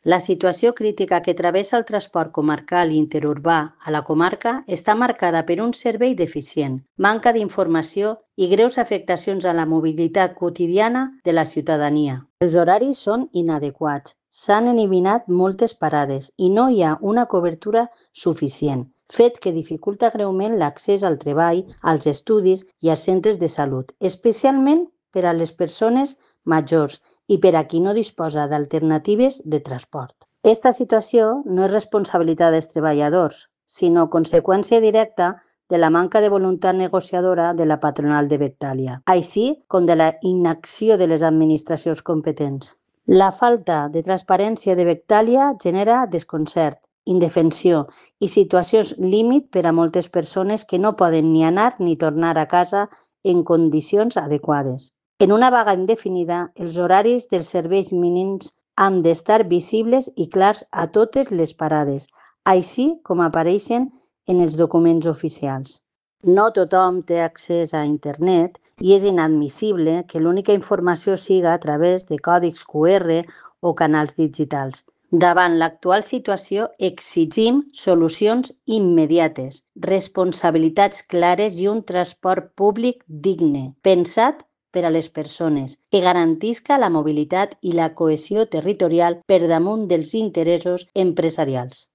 La situació crítica que travessa el transport comarcal i interurbà a la comarca està marcada per un servei deficient, manca d'informació i greus afectacions a la mobilitat quotidiana de la ciutadania. Els horaris són inadequats, s'han eliminat moltes parades i no hi ha una cobertura suficient, fet que dificulta greument l'accés al treball, als estudis i als centres de salut, especialment per a les persones majors i per a qui no disposa d'alternatives de transport. Esta situació no és responsabilitat dels treballadors, sinó conseqüència directa de la manca de voluntat negociadora de la patronal de Bectàlia, així com de la inacció de les administracions competents. La falta de transparència de Bectàlia genera desconcert, indefensió i situacions límit per a moltes persones que no poden ni anar ni tornar a casa en condicions adequades. En una vaga indefinida, els horaris dels serveis mínims han d'estar visibles i clars a totes les parades, així com apareixen en els documents oficials. No tothom té accés a internet i és inadmissible que l'única informació siga a través de còdics QR o canals digitals. Davant l'actual situació, exigim solucions immediates, responsabilitats clares i un transport públic digne, pensat per a les persones, que garantisca la mobilitat i la cohesió territorial per damunt dels interessos empresarials.